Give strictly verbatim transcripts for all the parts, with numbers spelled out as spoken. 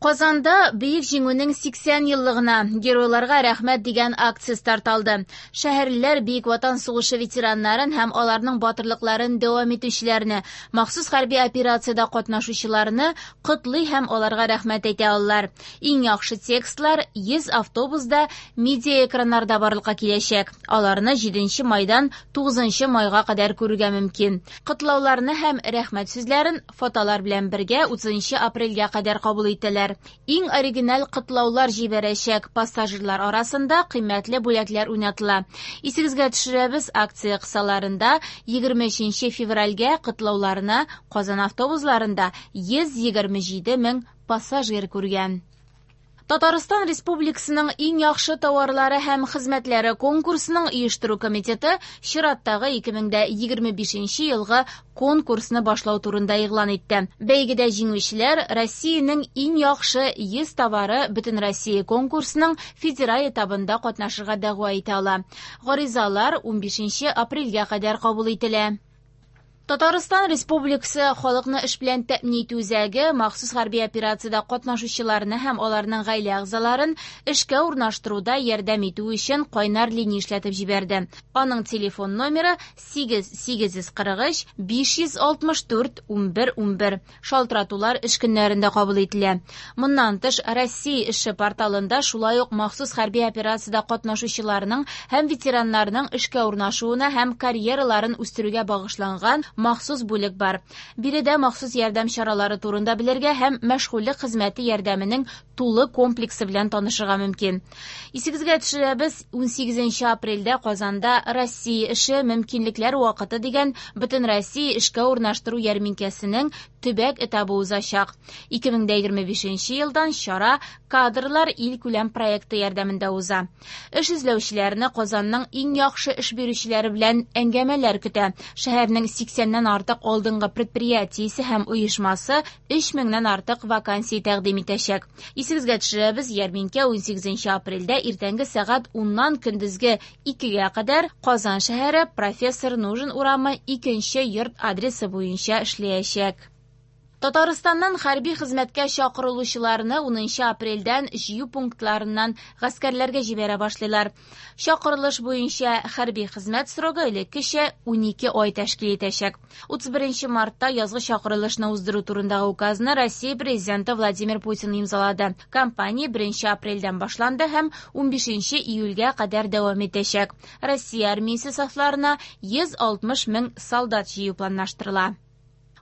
Казанда Бөек Җиңүнең сиксән еллыгына геройларга рәхмәт дигән акция старт алды. Шәһәрлеләр Бөек Ватан сугышы ветераннарын һәм аларның батырлыкларын дәвам итүчеләрне, махсус хәрби операциядә катнашучыларны котлый һәм аларга рәхмәт әйтә алалар. Иң яхшы текстлар йөз автобуста медиа экраннарда барлыкка киләчәк. Аларны җиденче майдан тугызынчы майга кадәр күрергә мөмкин. Котлауларны һәм рәхмәт сүзләрен фотолар белән бергә утызынчы апрельгә кадәр кабул итәләр. Иң оригиналь котлаулар җибәрәчәк пассажирлар арасында кыйммәтле бүләкләр уйнатыла. Исегезгә төшерәбез, акция кысаларында егерме өченче февральгә котлауларны Казан автобусларында йөз егерме җиде мең пассажир күргән. Татарстан Республикасының иң яхшы товарлары һәм хезмәтләре конкурсының оештыру комитеты чираттагы ике мең дә егерме бишенче елгы конкурсны башлау турында игълан итте. Бәйгедә җиңүчеләр Россиянең иң яхшы йөз товары Бөтенроссия конкурсының федераль этабында катнашырга дәгъва итә ала. Гаризалар унбишенче апрельгә кадәр кабул ителә. Татарстан Республикасы халыкны эш белән тәэмин итү үзәге махсус хәрби операциядә катнашучыларны һәм аларның гаилә әгъзаларын эшкә урнаштыруда ярдәм итү өчен кайнар линия эшләтеп җибәрде. Аның телефон номеры сигез сигез йөз кырык өч биш йөз алтмыш дүрт унбер унбер. Шалтыратулар эш көннәрендә кабул ителә. Моннан тыш Россия эше порталында шулай ук махсус хәрби операциядә катнашучыларның һәм ветераннарның эшкә урнашуына һәм карьераларын үстерүгә багышланган махсус бүлек бар. Биредә махсус ярдәм чаралары турында белергә һәм мәшгульлек хезмәте ярдәменең тулы комплексы белән танышырга мөмкин. Исегезгә төшерәбез, унсигезенче апрельдә Казанда Россия эше мөмкинлекләр вакыты дигән Бөтенроссия эшкә урнаштыру ярминкәсенең төбәк этабы узачак. Ике мең дә егерме бишенче елдан чара Кадрлар илкүләм проекты ярдәмендә уза. Эш эзләүчеләрне Казанның иң яхшы эш бирүчеләре белән әңгәмәләр көтә. Шәһәрнең сиксәннән артык алдынгы предприятиесе һәм оешмасы өч меңнән артык вакансия тәкъдим итәчәк. Исегезгә төшерәбез, ярминкә унсигезенче апрельдә иртәнге сәгать уннан көндезге икегә кадәр Казан шәһәре Профессор Нужин урамы икенче йорт адресы буенча эшләячәк. Татарстаннан хәрби хезмәткә чакырылучыларны унынчы апрельдән җыю пунктларыннан гаскәрләргә җибәрә башлыйлар. Чакырылыш буенча хәрби хезмәт срогы элеккечә унике ай тәшкил итәчәк. Утыз беренче мартта язгы чакырылышны уздыру турындагы указны Россия президенты Владимир Путин имзалады. Кампания беренче апрельдән башланды һәм унбишенче июльгә кадәр дәвам итәчәк. Россия армиясе сафларына йөз алтмыш мең солдат җыю планлаштырыла.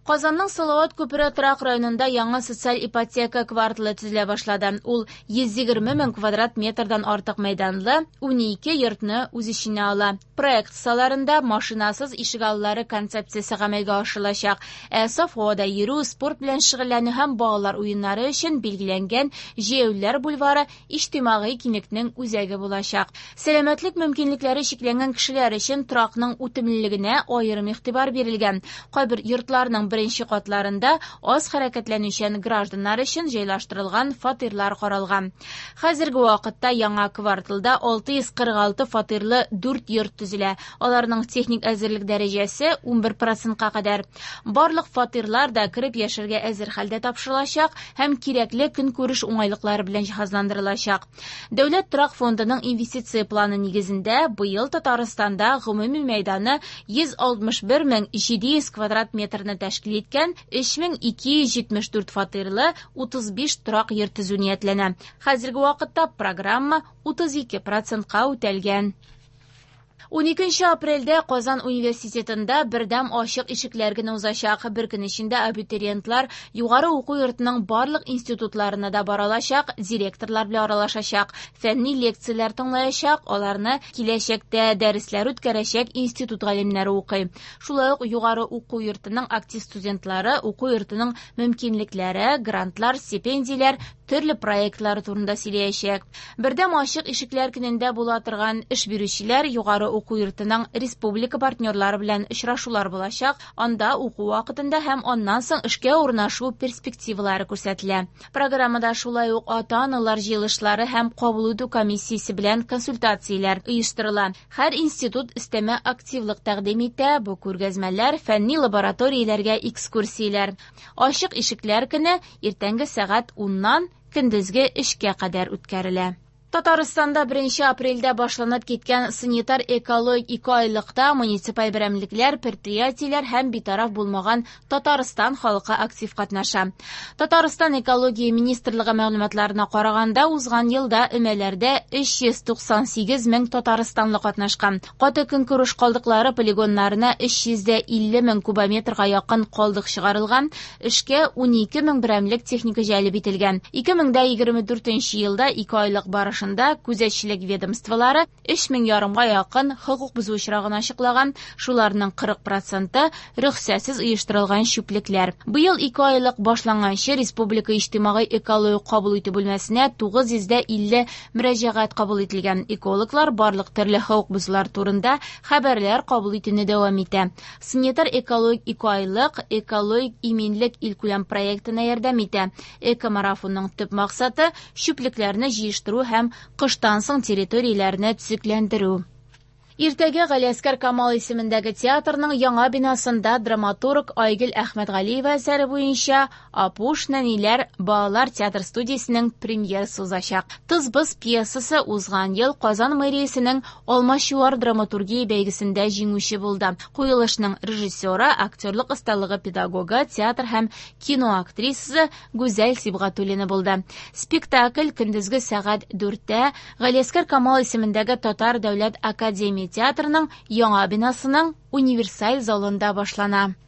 Казанның Салават күпере торак районында яңа социаль ипотека кварталы төзелә башлады. Ул йөз егерме мең квадрат метрдан артык мәйданлы унике йортны үз эченә ала. Проект кысаларында машинасыз ишегаллары концепциясе гамәлгә ашырылачак. Ә саф һавада йөрү, спорт белән шөгыльләнү һәм балалар уеннары өчен билгеләнгән Җәяүлеләр бульвары иҗтимагый киңлекнең үзәге булачак. Сәламәтлек мөмкинлекләре чикләнгән кешеләр өчен торакның үтемлелегенә аерым игътибар бирелгән. Кайбер йортларның беренче катларында аз хәрәкәтләнүчән гражданнар өчен җайлаштырылган фатирлар каралган. Хәзерге вакытта яңа кварталда алты йөз кырык алты фатирлы дүрт йорт төзелә. Аларның техник әзерлек дәрәҗәсе унбер процентка кадәр. Барлык фатирлар да кереп яшәргә әзер хәлдә тапшырылачак һәм кирәкле көнкүреш уңайлыклары белән җиһазландырылачак. Дәүләт торак фондының инвестиция планы нигезендә быел Татарстанда гомуми мәйданы йөз алтмыш бер мең җиде йөз квадрат метрны тәшкил иткән өч мең ике йөз җитмеш дүрт фатирлы утыз биш торак йорт төзү ниятләнә. Хәзерге вакытта программа утыз ике процентка үтәлгән. Уникенче апрельдә Казан университетында бердәм ачык ишекләр көне узачак. Бер көн эчендә абитуриентлар югары уку йортының барлык институтларына да бара алачак, директорлар белән аралашачак, фәнни лекцияләр тыңлаячак, аларны киләчәктә дәресләр үткәрәчәк институт галимнәре укый. Шулай ук югары уку йортының актив студентлары уку йортының мөмкинлекләре, грантлар, стипендияләр, төрле проектлары турында сөйләячәк. Бердәм ачык ишекләр көнендә була торган эш бирүчеләр югары уку йортының республика партнерлары белән очрашулар булачак. Анда уку вакытында һәм аннан соң эшкә урнашу перспективалары күрсәтелә. Программада шулай ук ата-аналар җыелышлары һәм кабул итү комиссиясе белән консультацияләр оештырыла. Һәр институт өстәмә активлык тәкъдим итә. Бу күргәзмәләр, фәнни лабораторияләргә экскурсияләр. Ачык ишекләр көне иртәнге сәгать уннан көндезге өчкә кадәр үткәрелә. Татарстанда беренче апрельдә башланып киткән санитар экологик ике айлыкта муниципаль берәмлекләр, предприятиеләр һәм битараф булмаган Татарстан халкы актив катнаша. Татарстан экология министрлыгы мәгълүматларына караганда, узган елда өмәләрдә өч йөз туксан сигез мең татарстанлы катнашкан. Каты көнкүреш калдыклары полигоннарына өч йөз дә илле мең кубометрга якын калдык чыгарылган, эшкә унике мең берәмлек техника җәлеп ителгән. Ике мең дә егерме дүртенче елда ике айлык барышында күзәтчелек ведомстволары өч мең ярымга якын хокук бозу очрагын ачыклаган, шуларның кырык проценты рөхсәтсез оештырылган чүплекләр. Быел ике айлык башланганчы Республика иҗтимагый экологик кабул итү бүлмәсенә тугыз йөз дә илле мөрәҗәгать кабул ителгән. Экологлар барлык төрле хокук бозулар турында хәбәрләр кабул итүне дәвам итә. Санитар экологик ике айлык экологик иминлек илкүләм проектына ярдәм итә. Экомарафонның төп максаты чүплекләрне җыештыру һәм кыштан соң территорияләрне төзекләндерү. Иртәгә Галиәсгар Камал исемендәге театрның яңа бинасында драматург Айгөл Әхмәтгалиева әсәре буенча Апуш нәниләр балалар театр студиясенең премьерасы узачак. Тыз-быз пьесасы узган ел Казан мэриясенең Алмачуар драматургия бәйгесендә җиңүче булды. Куелышның режиссеры, актерлык осталыгы педагогы, театр һәм кино актрисасы Гүзәл Сибгатуллина булды. Спектакль көндезге сәгать дүрттә Галиәсгар Камал исемендәге Татар дәүләт академия театрының яңа бинасының универсаль залында башлана.